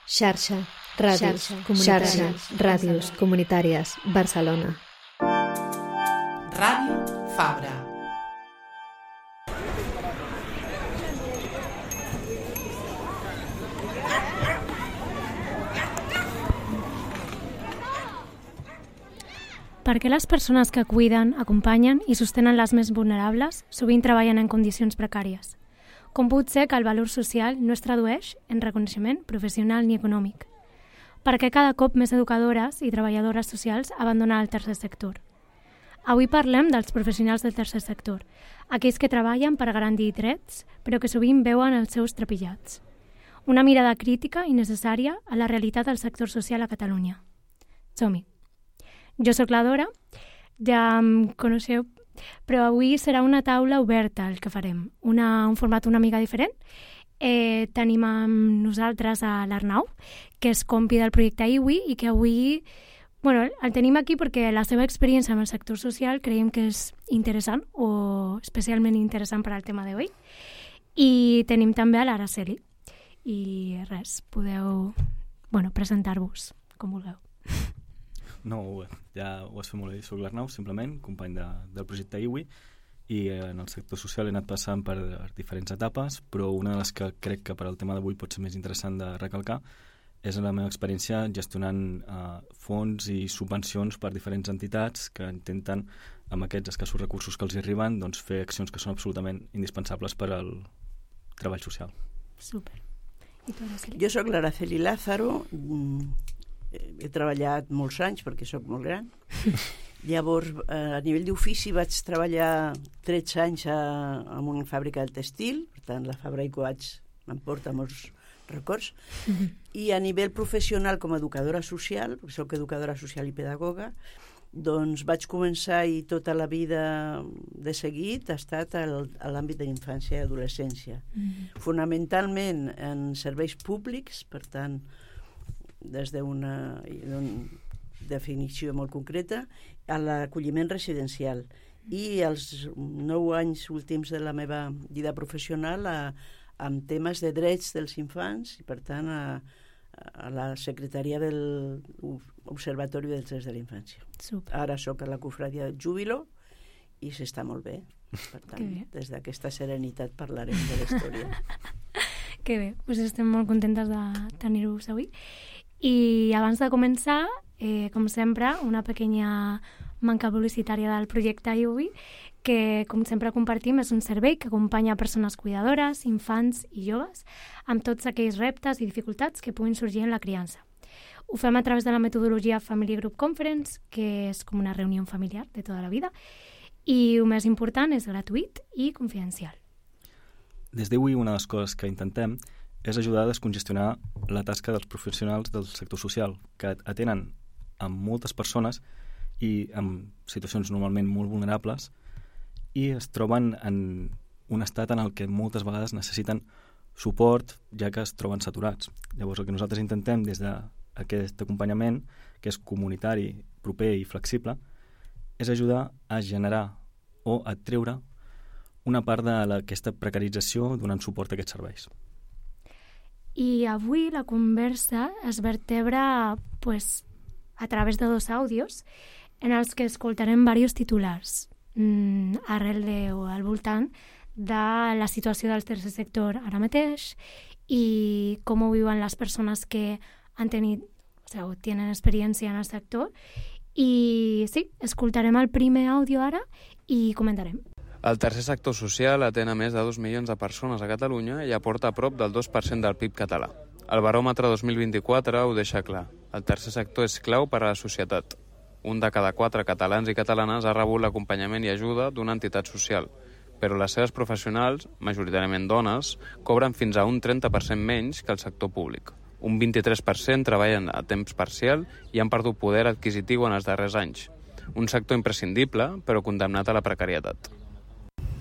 Xarxa, ràdios comunitàries, Barcelona. Ràdio Fabra. Perquè les persones que cuiden, acompanyen i sostenen les més vulnerables sovint treballen en condicions precàries. Com pot ser que el valor social no es tradueix en reconeixement professional ni econòmic? Perquè cada cop més educadores i treballadores socials abandonen el tercer sector. Avui parlem dels professionals del tercer sector, aquells que treballen per garantir drets, però que sovint veuen els seus trepitjats. Una mirada crítica i necessària a la realitat del sector social a Catalunya. Som-hi! Jo sóc la Dora, ja em coneixeu, però avui serà una taula oberta el que farem, un format una mica diferent. Tenim amb nosaltres a l'Arnau, que és compi del projecte IWI i que avui el tenim aquí perquè la seva experiència amb el sector social creiem que és interessant o especialment interessant per al tema d'avui. I tenim també a l'Araceli. I res, podeu presentar-vos com vulgueu. No, ja ho has fet molt bé. Soc l'Arnau, simplement, company del projecte IWI, i en el sector social he anat passant per diferents etapes, però una de les que crec que per al tema d'avui pot ser més interessant de recalcar és la meva experiència gestionant fons i subvencions per diferents entitats que intenten, amb aquests escassos recursos que els hi arriben, doncs, fer accions que són absolutament indispensables per al treball social. Super. I tu, Araceli? Jo sóc l'Araceli Lázaro. He treballat molts anys perquè sóc molt gran. Llavors, a nivell d'ofici vaig treballar 13 anys en una fàbrica del textil, per tant la Fabra i Coats m'emporta molts records, i a nivell professional com a educadora social, perquè soc educadora social i pedagoga, doncs vaig començar i tota la vida de seguit ha estat a l'àmbit de infància i adolescència. Fonamentalment en serveis públics, per tant, des d'una definició molt concreta, a l'acolliment residencial. I els 9 anys últims de la meva vida professional amb temes de drets dels infants i, per tant, a la secretaria de l'Observatori dels Drets de la Infància. Super. Ara sóc a la Cofradia del Júbilo i s'està molt bé. Per tant, des d'aquesta serenitat parlarem de la història. Que bé, doncs estem molt contentes de tenir-vos avui. I abans de començar, com sempre, una pequeña manca publicitària del projecte IWI, que, com sempre compartim, és un servei que acompanya persones cuidadores, infants i joves amb tots aquells reptes i dificultats que puguin sorgir en la criança. Ho fem a través de la metodologia Family Group Conference, que és com una reunió familiar de tota la vida, i el més important és gratuït i confidencial. Des d'IWI, una de les coses que intentem és ajudar a descongestionar la tasca dels professionals del sector social, que atenen a moltes persones i en situacions normalment molt vulnerables i es troben en un estat en el que moltes vegades necessiten suport, ja que es troben saturats. Llavors, el que nosaltres intentem des d'aquest acompanyament, que és comunitari, proper i flexible, és ajudar a generar o a treure una part d'aquesta precarització donant suport a aquests serveis. I avui la conversa es vertebra a través de 2 àudios en els que escoltarem diversos titulars al voltant de la situació del tercer sector ara mateix i com ho viuen les persones que tenen experiència en el sector. I sí, escoltarem el primer àudio ara i comentarem. El tercer sector social atén a més de 2 milions de persones a Catalunya i aporta a prop del 2% del PIB català. El baròmetre 2024 ho deixa clar. El tercer sector és clau per a la societat. 1 de cada 4 catalans i catalanes ha rebut l'acompanyament i ajuda d'una entitat social, però les seves professionals, majoritàriament dones, cobren fins a un 30% menys que el sector públic. Un 23% treballen a temps parcial i han perdut poder adquisitiu en els darrers anys. Un sector imprescindible, però condemnat a la precarietat.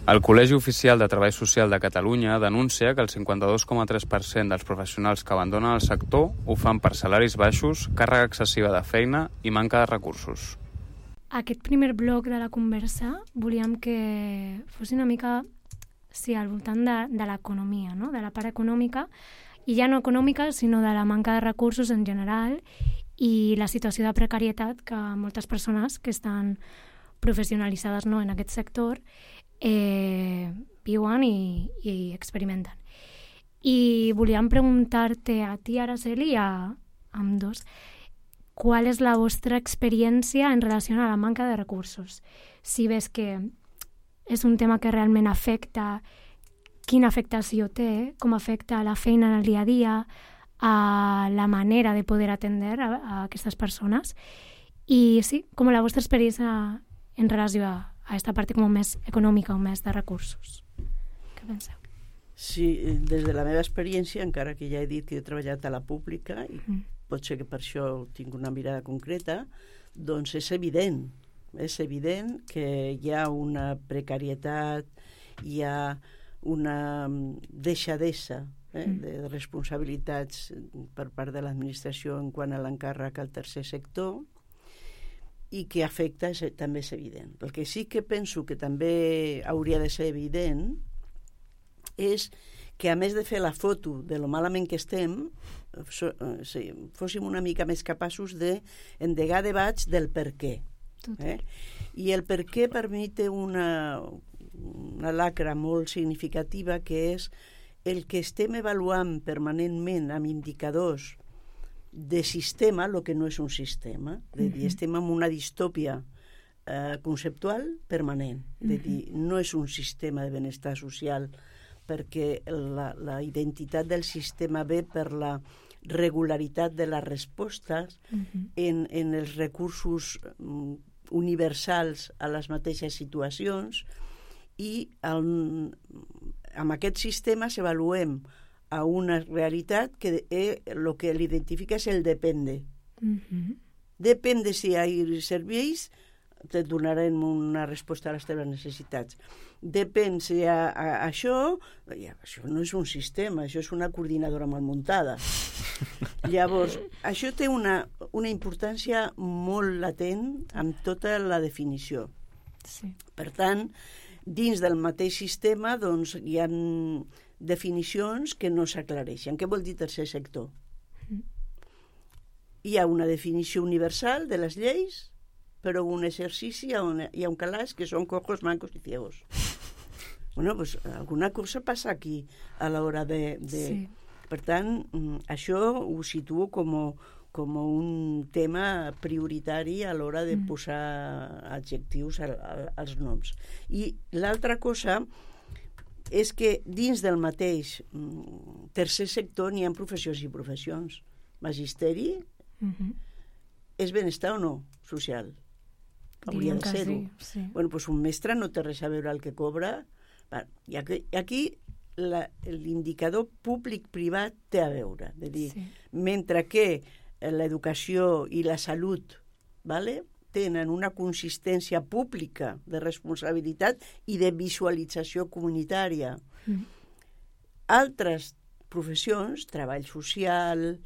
El Col·legi Oficial de Treball Social de Catalunya denuncia que el 52,3% dels professionals que abandonen el sector ho fan per salaris baixos, càrrega excessiva de feina i manca de recursos. Aquest primer bloc de la conversa volíem que fos una mica al voltant de l'economia, no? De la part econòmica i ja no econòmica, sinó de la manca de recursos en general i la situació de precarietat que moltes persones que estan professionalitzades en aquest sector viuen i experimenten. I volíem preguntar-te a ti, Araceli, i a ambdós, ¿cuál es la vostra experiència en relació a la manca de recursos? Si ves que és un tema que realment afecta, quina afectació té, com afecta la feina en el dia a dia, a la manera de poder atendre a aquestes persones, i sí, com la vostra experiència en relació a aquesta part com més econòmica o més de recursos. Què penseu? Sí, des de la meva experiència, encara que ja he dit que he treballat a la pública, i pot ser que per això tinc una mirada concreta, doncs és evident que hi ha una precarietat, hi ha una deixadesa de responsabilitats per part de l'administració en quant a l'encàrrec al tercer sector, i que afecta també és evident. El que sí que penso que també hauria de ser evident és que, a més de fer la foto de lo malament que estem, fóssim una mica més capaços d'endegar debats del per què. I el per què per mi té una lacra molt significativa, que és el que estem avaluant permanentment amb indicadors de sistema, el que no és un sistema. De dir, estem en una distòpia conceptual permanent. De dir, no és un sistema de benestar social, perquè la identitat del sistema ve per la regularitat de les respostes en els recursos universals a les mateixes situacions, i amb aquest sistema s'avaluem a una realitat que el que l'identifica és el depende. Depende si hi ha serveis, te donarem una resposta a les teves necessitats. Depèn si hi ha això no és un sistema, això és una coordinadora mal muntada. Llavors, això té una importància molt latent amb tota la definició. Per tant, dins del mateix sistema doncs, hi ha definicions que no s'aclareixen. Què vol dir tercer sector? Hi ha una definició universal de les lleis, però un exercici on hi ha un calaix que són cojos, mancos i ciegos. Bueno, pues alguna cosa passa aquí a l'hora de... Sí. Per tant, això ho situo com un tema prioritari a l'hora de posar adjectius als noms. I l'altra cosa és que dins del mateix tercer sector n'hi ha professions i professions. Magisteri és benestar o no social? Hauria de ser-ho. Sí. Bueno, doncs un mestre no té res a veure el que cobra. I aquí l'indicador públic-privat té a veure. De dir, mentre que l'educació i la salut tenen una consistència pública de responsabilitat i de visualització comunitària. Altres professions, treball social,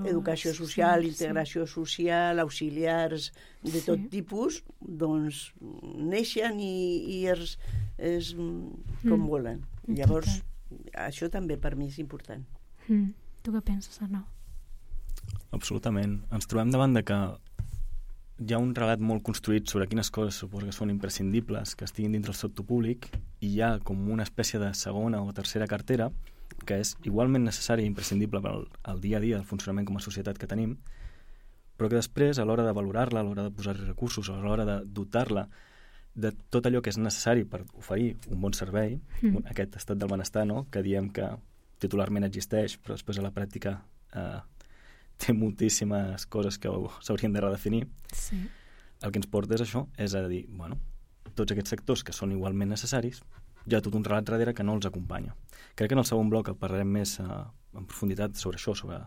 educació social, integració social, auxiliars de tot tipus, doncs neixen i és com volen. Llavors, això també per mi és important. Tu què penses, Arnau? Absolutament. Ens trobem davant de que hi ha un relat molt construït sobre quines coses suposo que són imprescindibles que estiguin dins del sector públic, i hi ha com una espècie de segona o tercera cartera que és igualment necessari i imprescindible pel dia a dia del funcionament com a societat que tenim, però que després, a l'hora de valorar-la, a l'hora de posar-hi recursos, a l'hora de dotar-la de tot allò que és necessari per oferir un bon servei, aquest estat del benestar, no?, que diem que titularment existeix, però després a la pràctica té moltíssimes coses que s'haurien de redefinir. El que ens porta és això, és a dir, bueno, tots aquests sectors que són igualment necessaris, hi ha tot un relat darrere que no els acompanya. Crec que en el segon bloc parlarem més en profunditat sobre això, sobre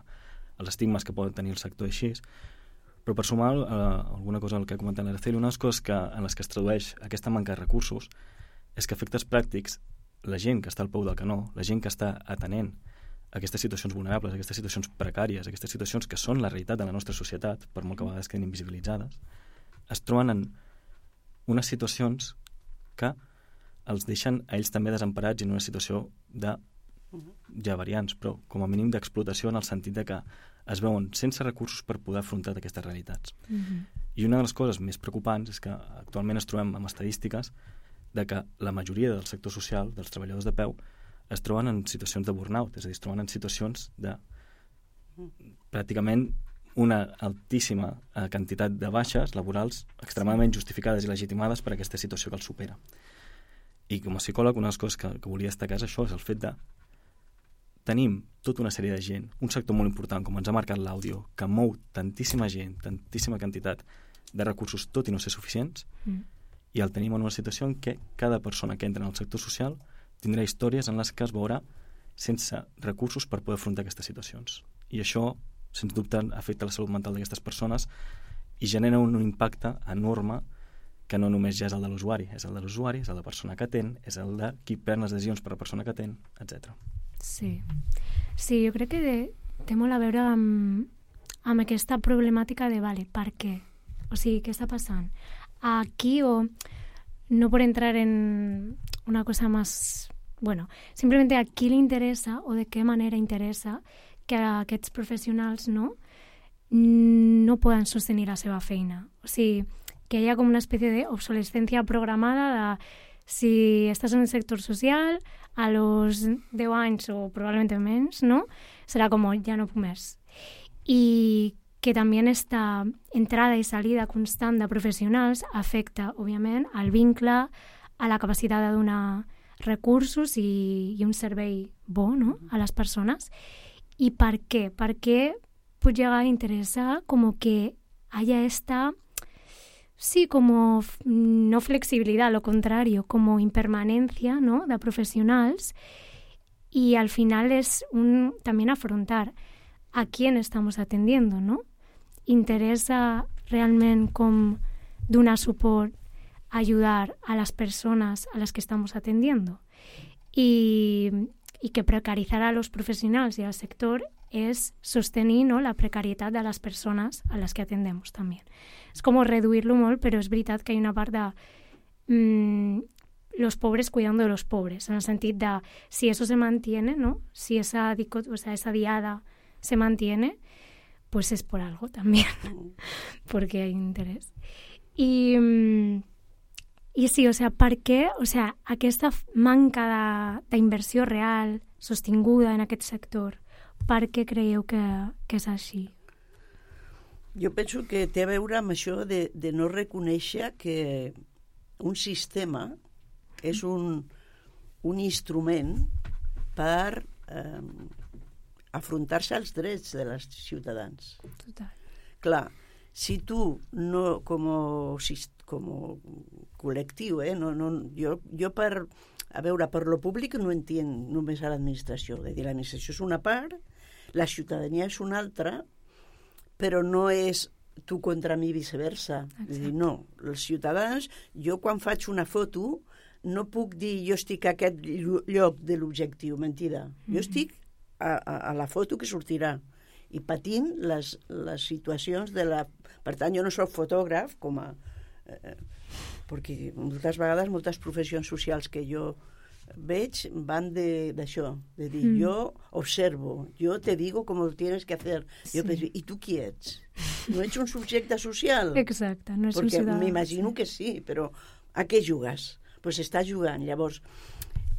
els estigmes que poden tenir el sector així, però per sumar alguna cosa al que ha comentat l'Araceli, una de les coses en les que es tradueix aquesta manca de recursos és que a efectes pràctics la gent que està al peu del canó, la gent que està atenent aquestes situacions vulnerables, aquestes situacions precàries, aquestes situacions que són la realitat de la nostra societat, per molt que a vegades quedin invisibilitzades, es troben en unes situacions que els deixen a ells també desemparats i en una situació de hi ha variants, però com a mínim d'explotació en el sentit de que es veuen sense recursos per poder afrontar aquestes realitats. I una de les coses més preocupants és que actualment es trobem amb estadístiques de que la majoria del sector social, dels treballadors de peu, es troben en situacions de burnout, és a dir, es troben en situacions de pràcticament una altíssima quantitat de baixes laborals extremadament justificades i legitimades per aquesta situació que els supera. I com a psicòleg, una de les coses que volia destacar és això, és el fet de tenim tota una sèrie de gent, un sector molt important, com ens ha marcat l'àudio, que mou tantíssima gent, tantíssima quantitat de recursos, tot i no ser suficients, i el tenim en una situació en què cada persona que entra en el sector social tindrà històries en les que es veurà sense recursos per poder afrontar aquestes situacions. I això, sens dubte, afecta la salut mental d'aquestes persones i genera un impacte enorme que no només ja és el de l'usuari, és el de l'usuari, és el de la persona que atén, és el de qui pren les decisions per la persona que atén, etc. Sí, jo crec que té molt a veure amb aquesta problemàtica de, vale, per què? O sigui, què està passant? Aquí, o no por entrar en una cosa más... Bueno, simplemente a qui li interessa o de què manera interessa que aquests professionals no poden sostenir la seva feina. O sigui, que hi ha com una espècie d'obsolescència programada de si estàs en el sector social, a los 10 anys o probablement menys, no? Serà com, ja no puc més. I que també esta entrada i salida constant de professionals afecta, òbviament, al vincle, a la capacitat de donar recursos i un servei bo, no?, a les persones. ¿Y por qué? ¿Por qué pues llega a interesar como que haya esta, sí, como no flexibilidad, lo contrario, como impermanencia, ¿no?, de profesionals? Y al final es también afrontar a quién estamos atendiendo, ¿no? Interesa realment com donar suport, ayudar a las personas a las que estamos atendiendo. Y que precarizar a los professionals i al sector és sostenir, no, la precarietat de les persones a les que atendemos també. És com reduir-lo molt, però és veritat que hi ha una part de los pobres cuidando de los pobres, en el sentit de si eso se mantiene, ¿no? Si esa diada se mantiene, pues es por algo también, porque hay interés. I sí, o sea, per què, o sea, aquesta manca d'inversió real, sostinguda en aquest sector, per què creieu que és així? Jo penso que té a veure amb això de no reconèixer que un sistema és un instrument per afrontar-se als drets dels ciutadans. Total. Clar, si tu no, com col·lectiu, jo per lo públic no entenc només a l'administració, és a dir, l'administració és una part, la ciutadania és una altra, però no és tu contra mi viceversa. És a dir, no, els ciutadans, jo quan faig una foto no puc dir jo estic a aquest lloc de l'objectiu, mentida. Jo estic a la foto que sortirà i patint les situacions de la... Per tant, jo no soc fotògraf, perquè moltes vegades moltes professions socials que jo veig van d'això, de dir, jo observo, jo te digo com ho tienes que hacer. Sí. Jo penso, i tu qui ets? No ets un subjecte social? Exacte, no ets un ciutadà. Perquè m'imagino que sí, però a què jugues? Doncs estàs jugant. Llavors,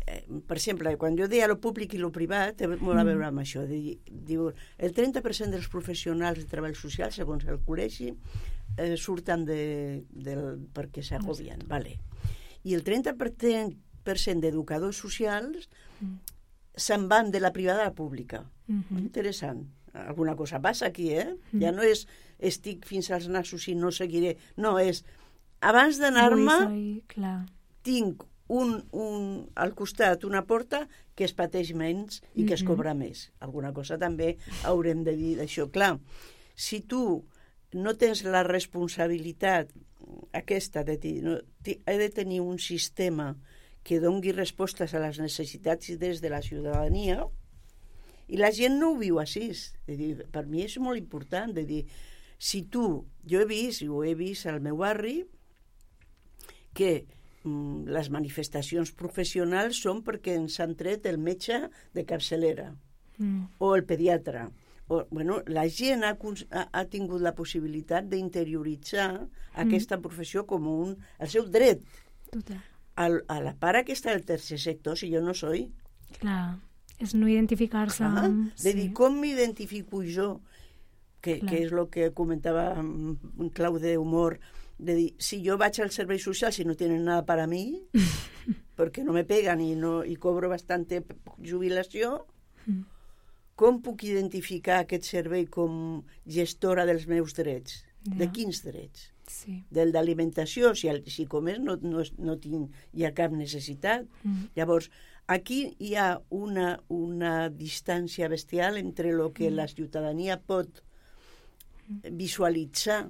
per exemple, quan jo deia lo públic i lo privat, té molt a veure amb això. Diu, el 30% dels professionals de treball social, segons el col·legi, surten perquè s'agobien. Vale. I el 30% d'educadors socials se'n van de la privada a la pública. Interessant. Alguna cosa passa aquí, Ja no és estic fins als nassos i no seguiré. No, és abans d'anar-me tinc al costat una porta que es pateix menys i que es cobra més. Alguna cosa també haurem de dir d'això. Clar, si tu no tens la responsabilitat aquesta de dir, no, he de tenir un sistema que doni respostes a les necessitats des de la ciutadania, i la gent no ho viu així. Per mi és molt important de dir, si tu, jo he vist, i ho he vist al meu barri, que les manifestacions professionals són perquè ens han tret el metge de capçalera o el pediatre. La gent ha tingut la possibilitat d'interioritzar aquesta professió com el seu dret. Total. A la part aquesta del tercer sector, si jo no soy... Clar, és no identificar-se amb... De dir, com m'identifico jo? Que és el que comentava en clau d'humor, de dir, si jo vaig al servei social, si no tenen nada para mí, perquè no me pegan i cobro bastante jubilació, com puc identificar aquest servei com gestora dels meus drets? De quins drets? Sí. Del d'alimentació, si com és no hi ha cap necessitat. Llavors, aquí hi ha una distància bestial entre el que la ciutadania pot visualitzar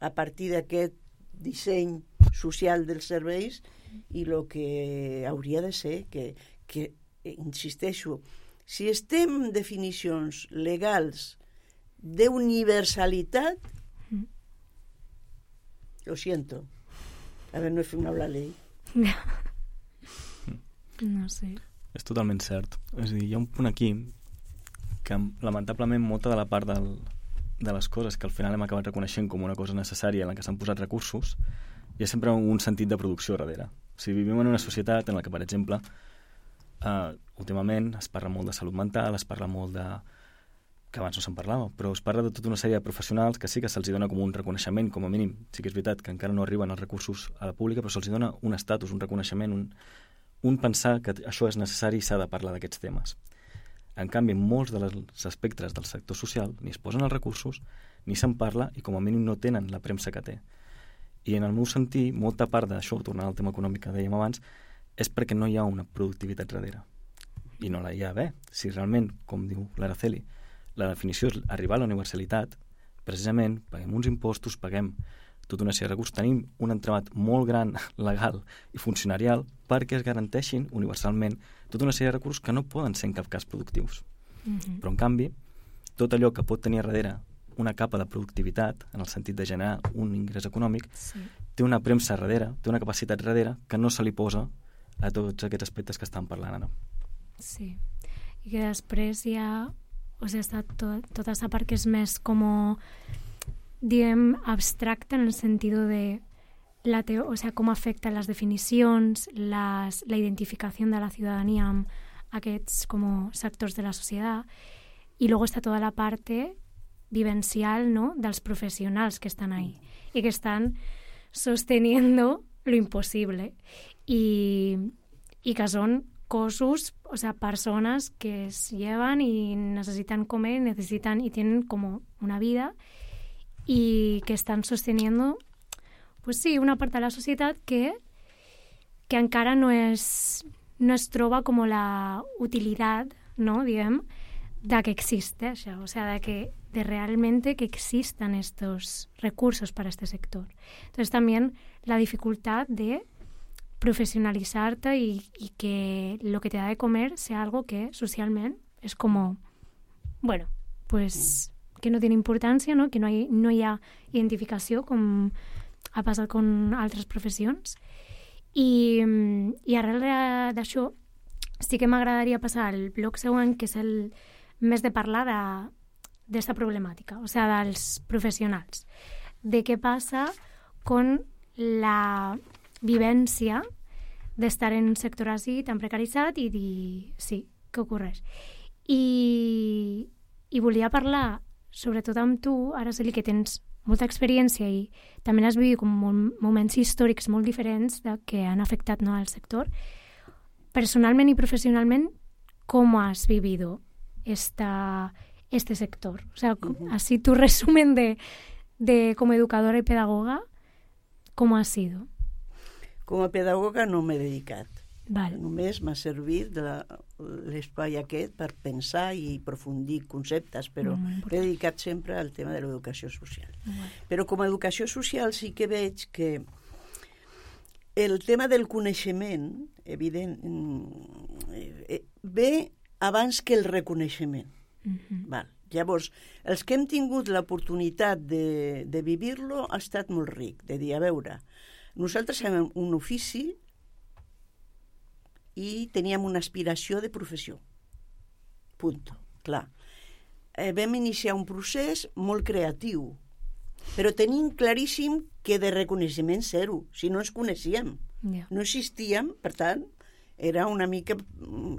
a partir d'aquest disseny social dels serveis i el que hauria de ser que insisteixo, si estem en definicions legals d'universalitat, lo siento. A ver, no he firmado la ley. No sé. És totalment cert. És a dir, hi ha un punt aquí que, lamentablement, molta de la part de les coses que al final hem acabat reconeixent com una cosa necessària en la que s'han posat recursos, hi ha sempre un sentit de producció darrere. O sigui, vivim en una societat en la que, per exemple, últimament es parla molt de salut mental, es parla molt de... que abans no se'n parlava, però es parla de tota una sèrie de professionals que sí que se'ls dona com un reconeixement, com a mínim. Sí que és veritat que encara no arriben els recursos a la pública, però se'ls dona un estatus, un reconeixement, un pensar que això és necessari i s'ha de parlar d'aquests temes. En canvi, molts dels espectres del sector social ni es posen els recursos, ni se'n parla i com a mínim no tenen la premsa que té. I en el meu sentir, molta part d'això, tornant al tema econòmic que dèiem abans, és perquè no hi ha una productivitat darrere. I no la hi ha d'haver. Si realment, com diu l'Araceli, la definició és arribar a la universalitat, precisament paguem uns impostos, paguem tota una sèrie de recursos, tenim un entramat molt gran, legal i funcionarial perquè es garanteixin universalment tota una sèrie de recursos que no poden ser en cap cas productius. Però, en canvi, tot allò que pot tenir a darrere una capa de productivitat, en el sentit de generar un ingrés econòmic, té una premsa darrere, té una capacitat darrere que no se li posa a tots aquests aspectes que estan parlant ara. Sí. I que després hi ha... O sigui, està tota aquesta part que és més com, diguem, abstracta en el sentit de o sea, com afecten les definicions, la identificació de la ciutadania amb aquests com sectors de la societat, i luego està tota la parte vivencial, ¿no?, dels professionals que estan ahí y que están sosteniendo lo imposible y que son cossos, o sea, personas que se llevan y necesitan comer, y tienen como una vida y que están sosteniendo, pues sí, una part de la societat que encara no es troba como la utilitat, ¿no?, diguem, de que existe això, o sea, de realmente que existan estos recursos para este sector. Entonces también la dificultad de profesionalizarte y que lo que te da de comer sea algo que socialmente es como, bueno, pues que no tiene importancia, ¿no?, que no hi ha identificació com ha passat con altres professions. I arrel d'això sí que m'agradaria passar al bloc següent, que és el més de parlar d'esta problemàtica, o sigui, dels professionals, de què passa con la vivència d'estar en un sector així tan precaritzat i dir, sí, què ocorreix. I volia parlar, sobretot amb tu, Araceli, que tens molta experiència i també has vivit com moments històrics molt diferents que han afectat, ¿no?, al sector. Personalment i professionalment, ¿cómo has vivido este sector? O sea, así tu resumen de como educadora y pedagoga, ¿cómo ha sido? Com a pedagoga no m'he dedicat. Vale. Només m'ha servit l'espai aquest per pensar i aprofundir conceptes, però m'he dedicat sempre al tema de l'educació social. Però com a educació social sí que veig que el tema del coneixement, evident, ve abans que el reconeixement. Val. Llavors, els que hem tingut l'oportunitat de vivir-lo ha estat molt ric, de dir, a veure, nosaltres fem un ofici i teníem una aspiració de professió. Punto. Clar. Vam iniciar un procés molt creatiu, però tenim claríssim que de reconeixement zero, si no ens coneixíem. No existíem, per tant, era una mica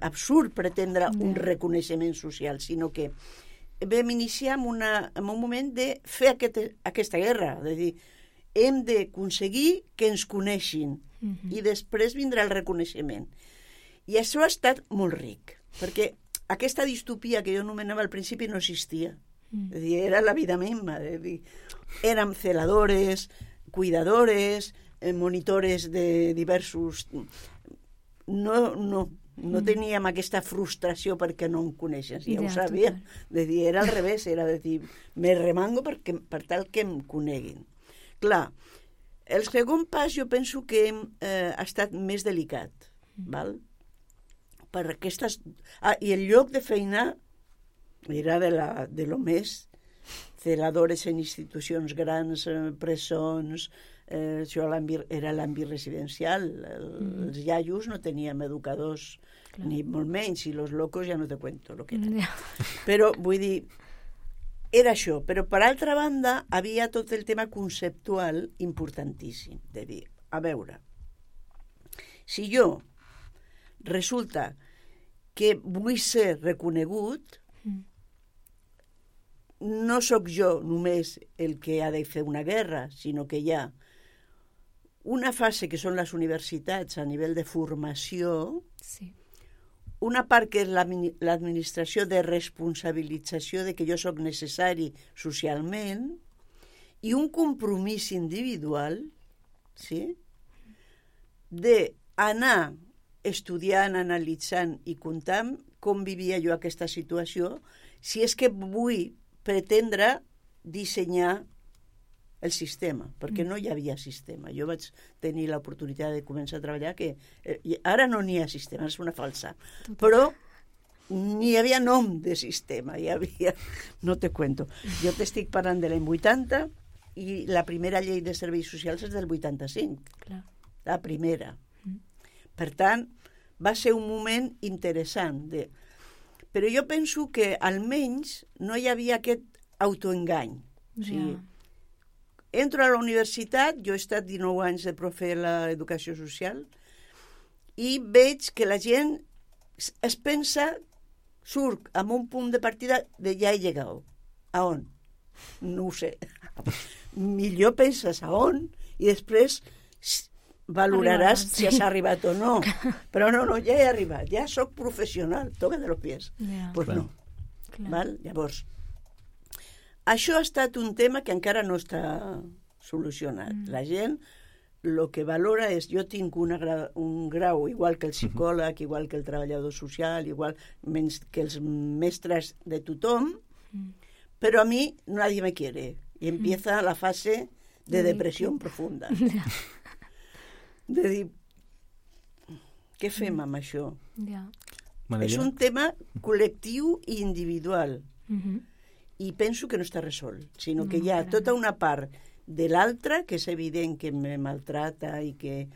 absurd pretendre un reconeixement social, sinó que vam iniciar en un moment de fer aquesta guerra, de dir, hem d'aconseguir que ens coneixin i després vindrà el reconeixement. I això ha estat molt ric, perquè aquesta distopia que jo anomenava al principi no existia. És dir, era la vida misma. Érem celadores, cuidadores, monitores de diversos... No teníem aquesta frustració perquè no em coneixes, ja ho sabíem. Era al revés, era de dir, me remango per tal que em coneguin. Clar, el segon pas jo penso que ha estat més delicat, val? Per aquestes... i el lloc de feina era de lo més celadores en institucions grans, presons, això era l'àmbit residencial. Els iaios no teníem educadors, ni molt menys, i los locos ja no te cuento lo que era. Però, vull dir, era això. Però, per altra banda, havia tot el tema conceptual importantíssim, de dir, a veure, si jo resulta que vull ser reconegut, no sóc jo només el que ha de fer una guerra, sinó que hi ha una fase que són les universitats a nivell de formació, una part que és l'administració de responsabilització de que jo sóc necessari socialment, i un compromís individual, sí, d'anar estudiant, analitzant i comptant com vivia jo aquesta situació, si és que vull pretendre dissenyar el sistema, perquè no hi havia sistema. Jo vaig tenir l'oportunitat de començar a treballar que ara no n'hi ha sistema, és una falsa. Però n'hi havia nom de sistema, hi havia... No te cuento. Jo t'estic parlant de l'any 80 i la primera llei de serveis socials és del 85. Clar. La primera. Per tant, va ser un moment interessant. Però jo penso que almenys no hi havia aquest autoengany. O sigui, entro a la universitat, jo he estat 19 anys de profe a l'educació social, i veig que la gent es pensa, surt amb un punt de partida de ja he llegat. A on? No ho sé. Millor penses a on i després valoraràs si has arribat o no. Però no, ja he arribat, ja sóc professional, toca de los pies. Pues no. Val? Llavors, això ha estat un tema que encara no està solucionat. La gent el que valora és, jo tinc un grau igual que el psicòleg, igual que el treballador social, igual menys que els mestres de tothom, però a mi nadie me quiere. I empieza la fase de depressió profunda. De dir, què fem amb això? És un tema col·lectiu i individual. I penso que no està resolt, sinó que hi ha tota una part de l'altre que és evident que me maltrata i que...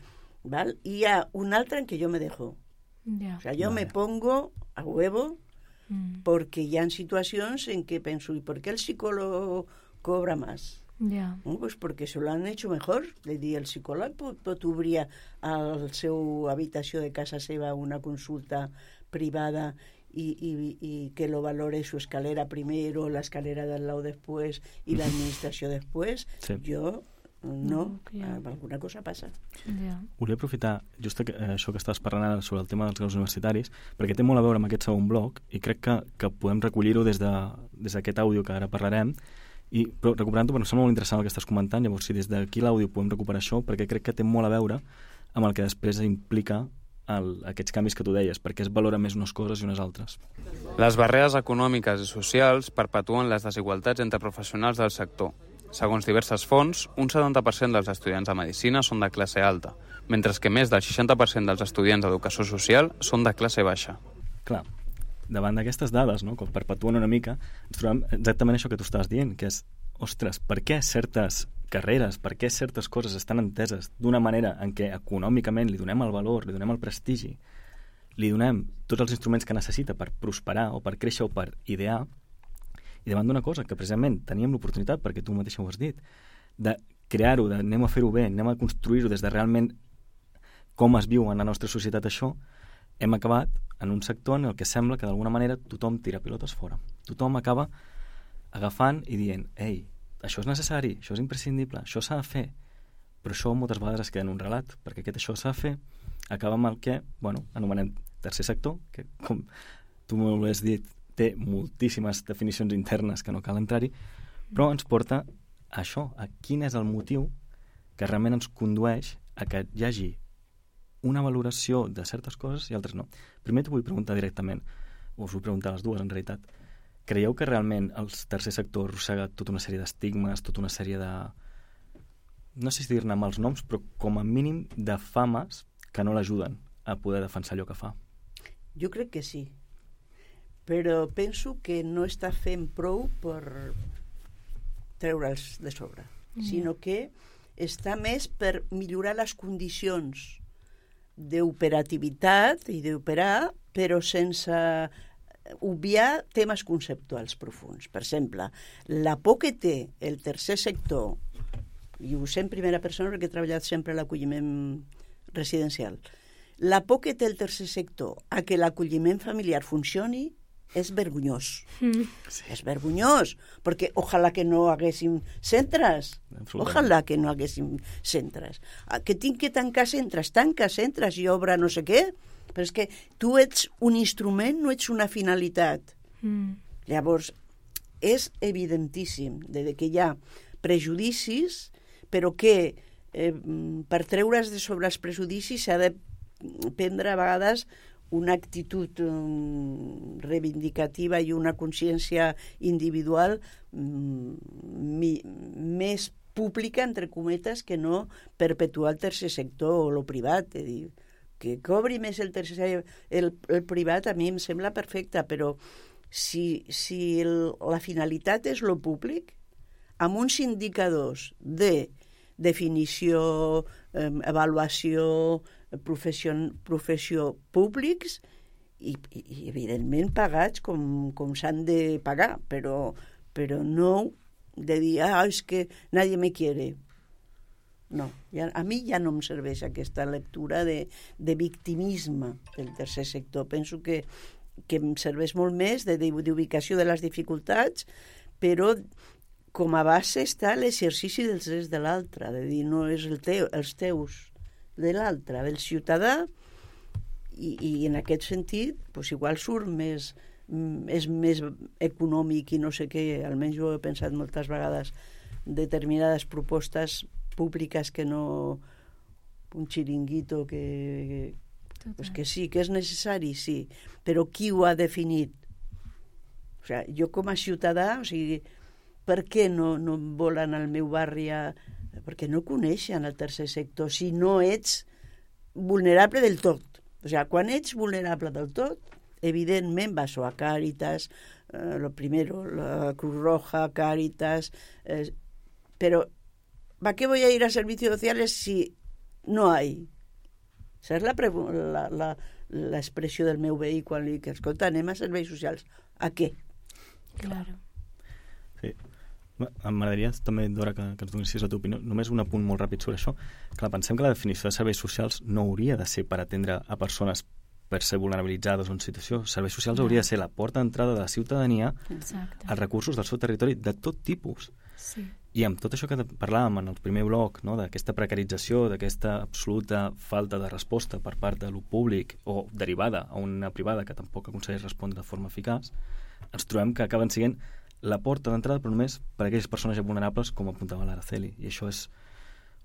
¿val? Y hi ha un altre en què jo me dejo. O sea, yo me pongo a huevo porque hi ha situacions en què penso, ¿y por qué el psicólogo cobra más? Pues porque se lo han hecho mejor. És dir, el psicòleg pot obrir al seu habitació de casa seva una consulta privada y que lo valore su escalera primero, la escalera del lado después y la administració después. Jo no, alguna cosa passa. Volia aprofitar just això que estàs parlant sobre el tema dels graus universitaris, perquè té molt a veure amb aquest segon bloc i crec que podem recollir-ho des d'aquest àudio que ara parlarem, però recuperant-ho, però em sembla molt interessant el que estàs comentant. Llavors, si des d'aquí l'àudio podem recuperar això, perquè crec que té molt a veure amb el que després implica aquests canvis que tu deies, perquè es valora més unes coses i unes altres. Les barreres econòmiques i socials perpetuen les desigualtats entre professionals del sector. Segons diverses fonts, un 70% dels estudiants de Medicina són de classe alta, mentre que més del 60% dels estudiants d'Educació Social són de classe baixa. Clar, davant d'aquestes dades, no, que perpetuen una mica, ens trobem exactament això que tu estàs dient, que és, ostres, per què certes carreres, per què certes coses estan enteses d'una manera en què econòmicament li donem el valor, li donem el prestigi li donem tots els instruments que necessita per prosperar o per créixer o per idear, i davant d'una cosa que precisament teníem l'oportunitat, perquè tu mateix ho has dit, de crear-ho, anem a fer-ho bé, anem a construir-ho des de realment com es viu en la nostra societat això, hem acabat en un sector en el que sembla que d'alguna manera tothom tira pilotes fora. Tothom acaba agafant i dient, ei, això és necessari, això és imprescindible, això s'ha de fer, però això moltes vegades es queda en un relat, perquè aquest això s'ha de fer acaba amb el que, anomenem tercer sector, que com tu molt bé has dit, té moltíssimes definicions internes que no cal entrar-hi, però ens porta a això, a quin és el motiu que realment ens condueix a que hi hagi una valoració de certes coses i altres no. Primer t'ho vull preguntar directament, o us vull preguntar les dues en realitat. Creieu que realment el tercer sector arrossega tota una sèrie d'estigmes, tota una sèrie de... no sé si dir-ne mals noms, però com a mínim de fames que no l'ajuden a poder defensar allò que fa? Jo crec que sí, però penso que no està fent prou per treure'ls de sobre, sinó que està més per millorar les condicions d'operativitat i d'operar, però sense obviar temes conceptuals profuns. Per exemple, la por que té el tercer sector, i ho sé en primera persona perquè he treballat sempre a l'acolliment residencial, la por que té el tercer sector a que l'acolliment familiar funcioni és vergonyós. Sí. És vergonyós, perquè ojalà que no haguéssim centres. Ojalà que no haguéssim centres. Que tinc que tancar centres, tanca centres i obre no sé què, però és que tu ets un instrument, no ets una finalitat. Llavors, és evidentíssim que hi ha prejudicis, però que per treure's de sobre els prejudicis s'ha de prendre a vegades una actitud reivindicativa i una consciència individual més pública, entre cometes, que no perpetuar el tercer sector o el privat. És dir, que cobri més el tercer el privat a mi em sembla perfecte, però si la finalitat és lo públic, amb uns indicadors de definició, avaluació, professió públics i evidentment pagats com s'han de pagar, però no de dir, és que nadie me quiere. No, a mi ja no em serveix aquesta lectura de victimisme del tercer sector. Penso que em serveix molt més d'ubicació de les dificultats, però com a base està l'exercici dels drets de l'altre, de dir, no és els teus, de l'altre, del ciutadà, i en aquest sentit, igual surt és més econòmic i no sé què, almenys jo he pensat moltes vegades, determinades propostes públiques que no un xiringuito que sí, que és necessari, sí, però qui ho ha definit? O sigui, jo com a ciutadà, per què no volen al meu barri perquè no coneixen el tercer sector si no ets vulnerable del tot. O sigui, quan ets vulnerable del tot, evidentment vas a Càritas, lo primero, la Cruz Roja, Càritas, pero ¿para qué voy a ir a servicios sociales si no hay? Esa és la expressió del meu veí quan li dic, escolta, anem a serveis socials. A què? Claro. Sí. M'agradaria també, Dora, que ens donessis la teva opinió. Només un apunt molt ràpid sobre això. Clar, pensem que la definició de serveis socials no hauria de ser per atendre a persones per ser vulnerabilitzades o en situació. Serveis socials hauria de ser la porta d'entrada de la ciutadania als recursos del seu territori de tot tipus. Sí. I amb tot això que parlàvem en el primer bloc, no, d'aquesta precarització, d'aquesta absoluta falta de resposta per part de lo públic o derivada a una privada que tampoc aconsegueix respondre de forma eficaç, ens trobem que acaben sent la porta d'entrada, però només per a aquelles persones ja vulnerables, com apuntava l'Araceli. I això és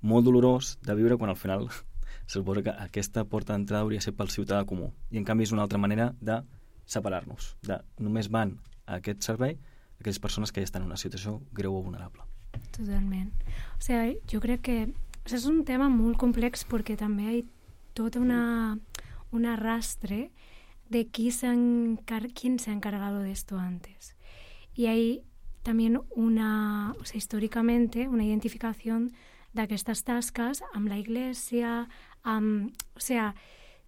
molt dolorós de viure quan al final se suposa que aquesta porta d'entrada hauria de ser pel ciutadà comú. I en canvi és una altra manera de separar-nos, de només van a aquest servei aquelles persones que ja estan en una situació greu o vulnerable. Totalment. O sigui, jo crec que és un tema molt complex perquè també hi ha tot un arrastre de quién se ha encargado de esto antes. Y hay también históricamente una identificación d'aquestes tasques amb la Iglesia,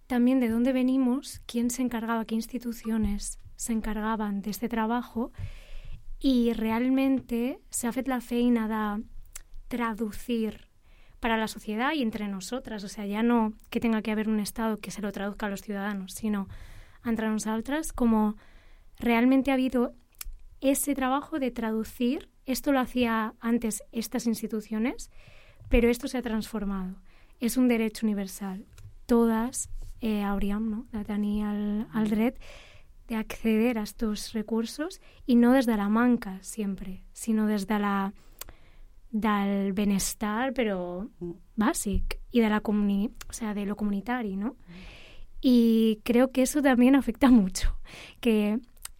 también de dónde venimos, quién se encargaba, qué instituciones se encargaban de este trabajo, i realmente s'ha fet la feina de traducir para la sociedad y entre nosotras, o sea, ya no que tenga que haber un Estado que se lo traduzca a los ciudadanos, sino entre nosotras, como realmente ha habido ese trabajo de traducir. Esto lo hacía antes estas instituciones, pero esto se ha transformado. És un dret universal. Todas hauríem, no?, de tenir el dret de acceder a estos recursos, y no desde la manca siempre, sino desde del benestar, pero básic, y de o sea, de lo comunitario, ¿no? Y creo que eso también afecta mucho, que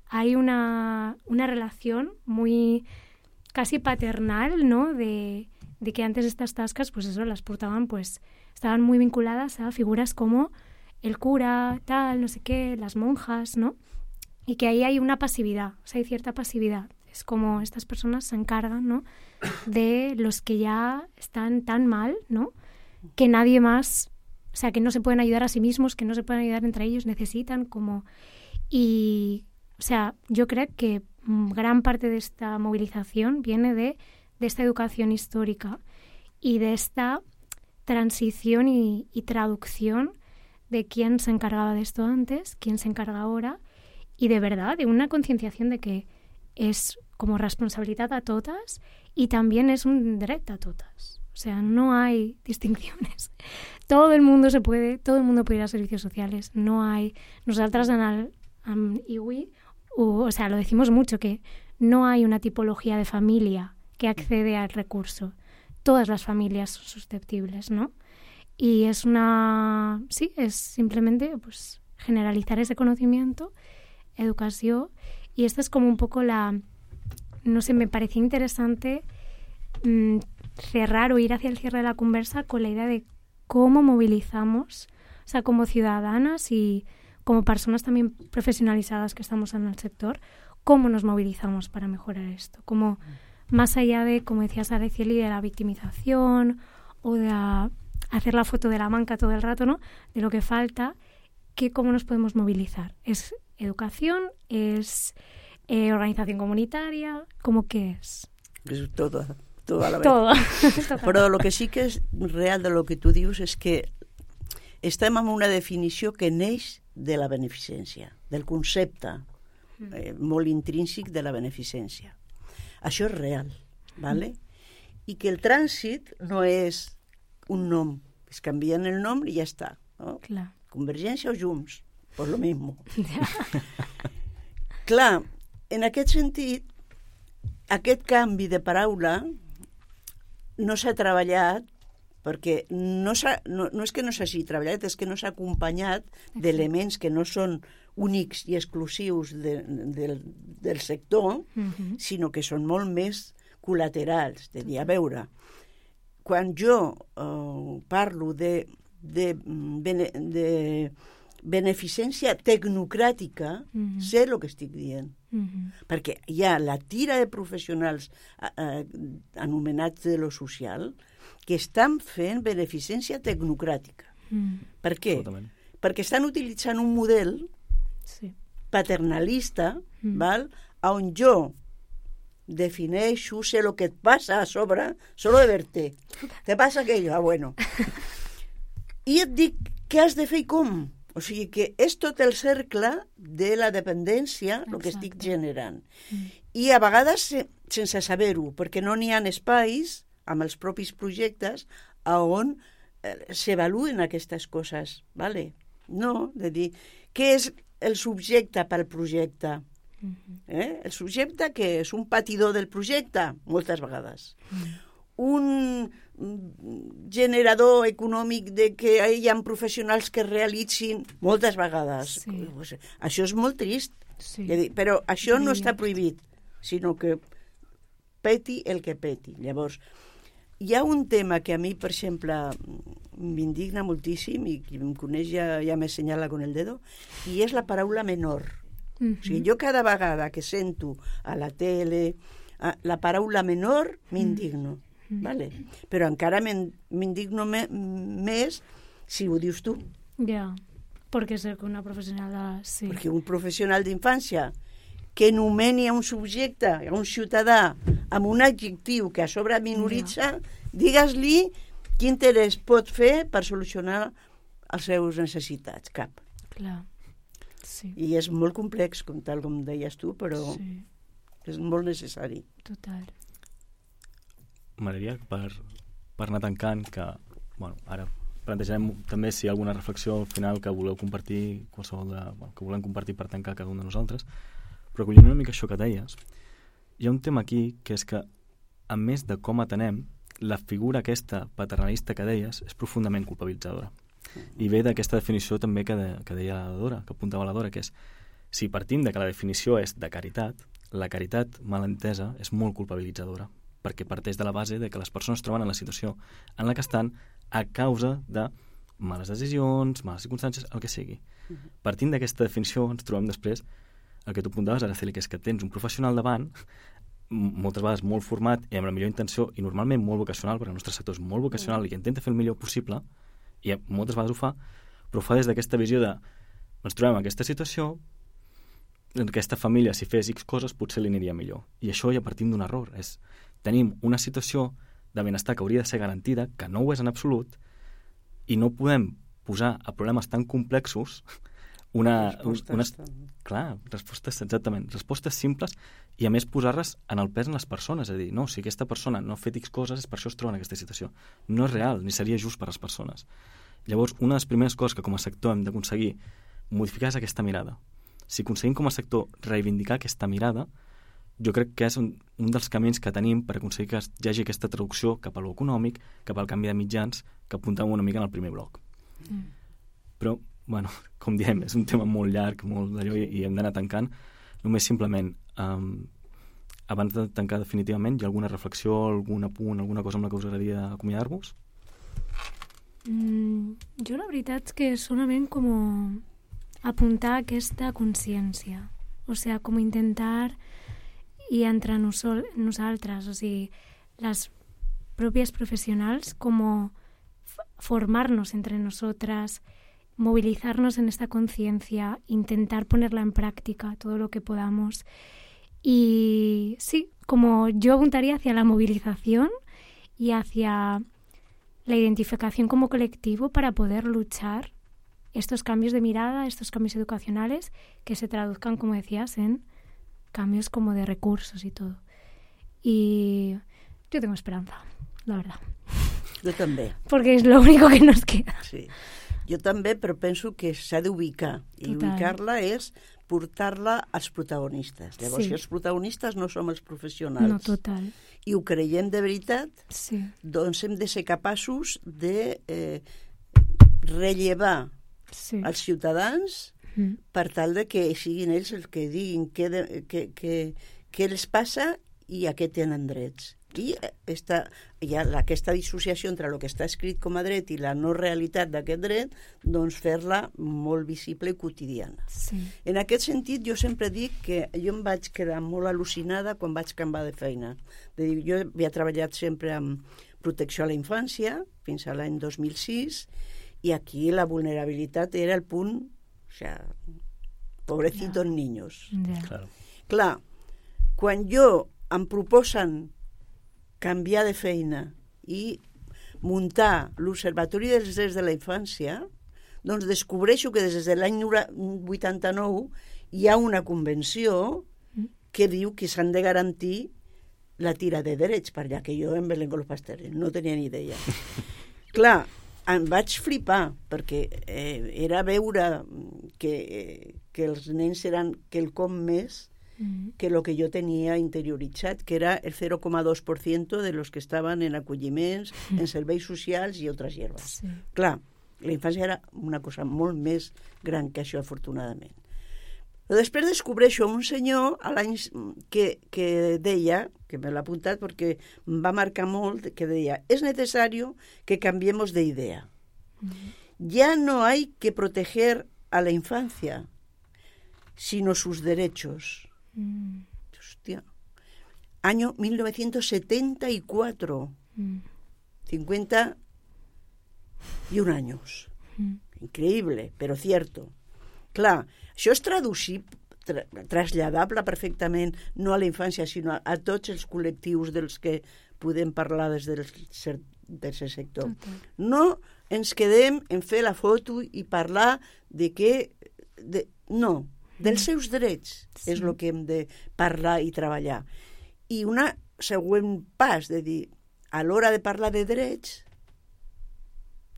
hay una relación muy casi paternal, ¿no?, de que antes estas tascas, pues eso, las portaban, pues estaban muy vinculadas a figuras como el cura, tal, no sé qué, las monjas, ¿no? Y que ahí hay una pasividad, o sea, hay cierta pasividad. Es como estas personas se encargan, ¿no?, de los que ya están tan mal, ¿no?, que nadie más, o sea, que no se pueden ayudar a sí mismos, que no se pueden ayudar entre ellos, necesitan como... Y, o sea, yo creo que gran parte de esta movilización viene de esta educación histórica y de esta transición y traducción de quién se encargaba de esto antes, quién se encarga ahora, y de verdad, de una concienciación de que es como responsabilidad a todas y también es un derecho a todas. O sea, no hay distinciones. Todo el mundo puede ir a servicios sociales. No hay... Nosotras en IWI, o sea, lo decimos mucho, que no hay una tipología de familia que accede al recurso. Todas las familias son susceptibles, ¿no? Y es es simplemente pues generalizar ese conocimiento, educación, y esta es como un poco no sé, me parecía interesante cerrar o ir hacia el cierre de la conversa con la idea de cómo movilizamos, o sea, como ciudadanas y como personas también profesionalizadas que estamos en el sector, cómo nos movilizamos para mejorar esto, como más allá de, como decía Sara Cieli, de la victimización o de hacer la foto de la manca todo el rato, ¿no?, de lo que falta, cómo nos podemos movilizar. Es educación, es organización comunitaria, ¿cómo qué es? És tot a la vez. Todo. Però el que sí que és real de lo que tu dius és que estem en una definició que neix de la beneficència, del concepte molt intrínsec de la beneficència. Això és real, ¿vale? I que el trànsit no és un nom, es canvien el nom i ja està, no? Clar. Convergència o Junts, pues lo mismo. Clar, en aquest sentit, aquest canvi de paraula no s'ha treballat perquè no és que no s'hagi treballat, és que no s'ha acompanyat d'elements que no són únics i exclusius del sector, sinó que són molt més col·laterals. De dir, a veure, quan jo parlo de beneficència tecnocràtica, sé el que estic dient. Perquè hi ha la tira de professionals anomenats de lo social que estan fent beneficència tecnocràtica. Per què? Perquè estan utilitzant un model paternalista, on jo defineixo, sé el que et passa a sobre, solo de verte. Te passa aquello, bueno. I et dic què has de fer i com. O sigui que és tot el cercle de la dependència el que estic generant. I a vegades sense saber-ho, perquè no n'hi ha espais amb els propis projectes on s'avaluen aquestes coses. ¿Vale? No, de dir, què és el subjecte pel projecte? El subjecte que és un patidor del projecte, moltes vegades. Un generador econòmic de que hi ha professionals que realitzin moltes vegades. Això és molt trist, però això no està prohibit, sinó que peti el que peti. Llavors, hi ha un tema que a mi, per exemple, m'indigna moltíssim i qui em coneix ja me senyala con el dedo, i és la paraula menor. O sigui, jo cada vegada que sento a la tele la paraula menor m'indigno. Vale? Però encara m'indigno més si ho dius tu. Perquè soc una professional de... Sí. Perquè un professional d'infància que nomeni a un subjecte, a un ciutadà, amb un adjectiu que a sobre minoritza, digues-li quin interès pot fer per solucionar les seves necessitats. Cap. Clar, sí. I és molt complex, tal com deies tu, però Sí, és molt necessari. total. M'agradaria, per anar tancant, que ara plantejarem també si hi ha alguna reflexió al final que voleu compartir, que volem compartir per tancar cada un de nosaltres, però acollint una mica això que deies, hi ha un tema aquí que és que, a més de com atenem, la figura aquesta paternalista que deies és profundament culpabilitzadora. I ve d'aquesta definició també que deia la Dora, que apuntava la Dora, que és, si partim de que la definició és de caritat, la caritat mal entesa és molt culpabilitzadora, perquè parteix de la base de que les persones es troben en la situació en la que estan a causa de males decisions, males circumstàncies, el que sigui. Partint d'aquesta definició ens trobem després el que tu apuntaves, Araceli, que és que tens un professional davant, moltes vegades molt format i amb la millor intenció, i normalment molt vocacional, perquè el nostre sector és molt vocacional i que intenta fer el millor possible, i moltes vegades ho fa, però ho fa des d'aquesta visió de ens trobem en aquesta situació, en aquesta família, si fes X coses, potser li aniria millor. I això ja partim d'un error. Tenim una situació de benestar que hauria de ser garantida, que no ho és en absolut, i no podem posar a problemes tan complexos respostes simples i a més posar-les en el pes en les persones, és a dir, no, si aquesta persona no ha fet X coses és per això es troba en aquesta situació. No és real, ni seria just per a les persones. Llavors, una de les primeres coses que com a sector hem d'aconseguir modificar és aquesta mirada. Si aconseguim com a sector reivindicar aquesta mirada, jo crec que és un dels camins que tenim per aconseguir que hi hagi aquesta traducció cap a l'econòmic, cap al canvi de mitjans, que apuntàvem una mica en el primer bloc. Però, com diem, és un tema molt llarg, molt d'allò, i hem d'anar tancant. Només simplement, abans de tancar definitivament, hi ha alguna reflexió, algun apunt, alguna cosa amb la que us agradaria acomiadar-vos? Jo la veritat és que solament com apuntar aquesta consciència, o sigui, com intentar i entre nosaltres, o sigui, les pròpies professionals, com formarnos entre nosotras, movilizarnos en esta conciencia, intentar ponerla en práctica todo lo que podamos. Y sí, como yo apuntaría hacia la movilización y hacia la identificación como colectivo para poder luchar estos cambios de mirada, estos cambios educacionales que se traduzcan, como decías, en cambios como de recursos y todo. Y yo tengo esperanza, la verdad. Jo també. Porque es lo único que nos queda. Sí. Jo també, però penso que s'ha d'ubicar. I ubicar-la és portar-la als protagonistes. Llavors, si els protagonistes no som els professionals No, total. i ho creiem de veritat, Sí. doncs hem de ser capaços de rellevar els ciutadans per tal de que siguin ells els que diguin què els passa i a què tenen drets. I hi ha aquesta dissociació entre el que està escrit com a dret i la no realitat d'aquest dret, doncs fer-la molt visible i quotidiana. Sí. En aquest sentit, jo sempre dic que jo em vaig quedar molt al·lucinada quan vaig canviar de feina. Jo havia treballat sempre amb protecció a la infància, fins a l'any 2006, i aquí la vulnerabilitat era el punt, o sigui, pobrecitos niños. Claro. Clar, quan em proposen canviar de feina i muntar l'Observatori dels Drets de la Infància, doncs descobreixo que des de l'any 89 hi ha una convenció que diu que s'han de garantir la tira de drets, per allà que jo en Belén con los pasteles no tenia ni idea. Clar, em vaig flipar, perquè era veure que els nens eren quelcom més que lo que jo tenia interioritzat, que era el 0,2% de los que estaven en acolliments, en serveis socials i altres hierbes. Sí. Clar, la infància era una cosa molt més gran que això, afortunadament. Però després descobreixo un senyor a l'any que deia, que me l'ha apuntat perquè em va marcar molt, que deia, es necesario que cambiemos de idea. Ya no hay que proteger a la infancia, sino sus derechos. Hostia. Año 1974. 51 años. increïble, però cierto. Clar, això és traslladable perfectament, no a la infància, sinó a tots els col·lectius dels que podem parlar des del tercer sector. No ens quedem en fer la foto i parlar de què... No, dels seus drets és el que hem de parlar i treballar. I una següent pas de dir, a l'hora de parlar de drets,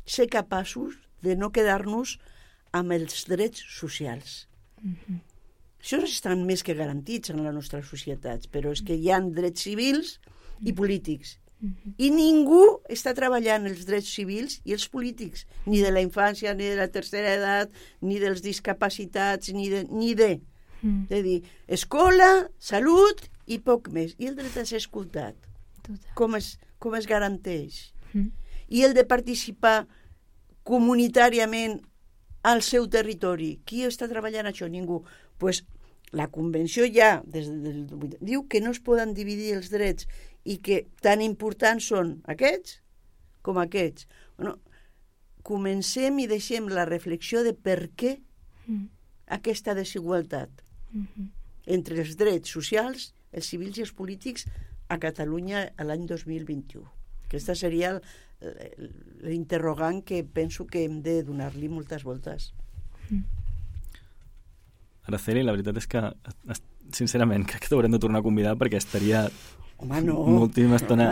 ser capaços de no quedar-nos amb els drets socials. Això estan més que garantits en les nostres societats, però és que hi ha drets civils i polítics. I ningú està treballant els drets civils i els polítics, ni de la infància, ni de la tercera edat, ni dels discapacitats, ni de. De dir, escola, salut i poc més. I el dret a ser escoltat. Com es garanteix? I el de participar comunitàriament al seu territori. Qui està treballant això? Ningú. Pues la Convenció ja diu que no es poden dividir els drets i que tan importants són aquests com aquests. Bueno, comencem i deixem la reflexió de per què aquesta desigualtat entre els drets socials, els civils i els polítics a Catalunya l'any 2021. Aquesta seria l'interrogant que penso que hem de donar-li moltes voltes. Araceli, la veritat és que, sincerament, crec que t'haurem de tornar a convidar perquè estaria moltíssima estona...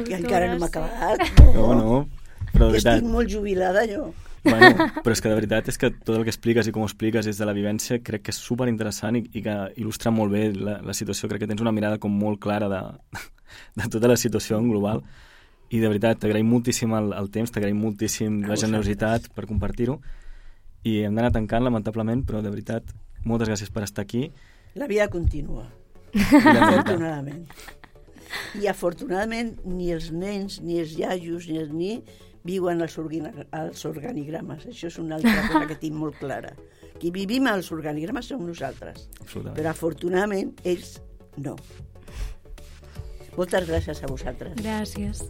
Que encara no m'ha acabat. No, però de veritat... Estic molt jubilada, jo. Bueno, però és que de veritat és que tot el que expliques i com ho expliques des de la vivència crec que és superinteressant i que il·lustra molt bé la situació. Crec que tens una mirada com molt clara de tota la situació en global. I de veritat, t'agraïm moltíssim el temps, t'agraïm moltíssim la generositat per compartir-ho. I hem d'anar tancant, lamentablement, però de veritat, moltes gràcies per estar aquí. La vida continua, afortunadament. I afortunadament ni els nens, ni els iaios, ni els viuen als organigrames. Això és una altra cosa que tinc molt clara. Qui vivim als organigrames som nosaltres. Però afortunadament ells no. Moltes gràcies a vosaltres. Gràcies.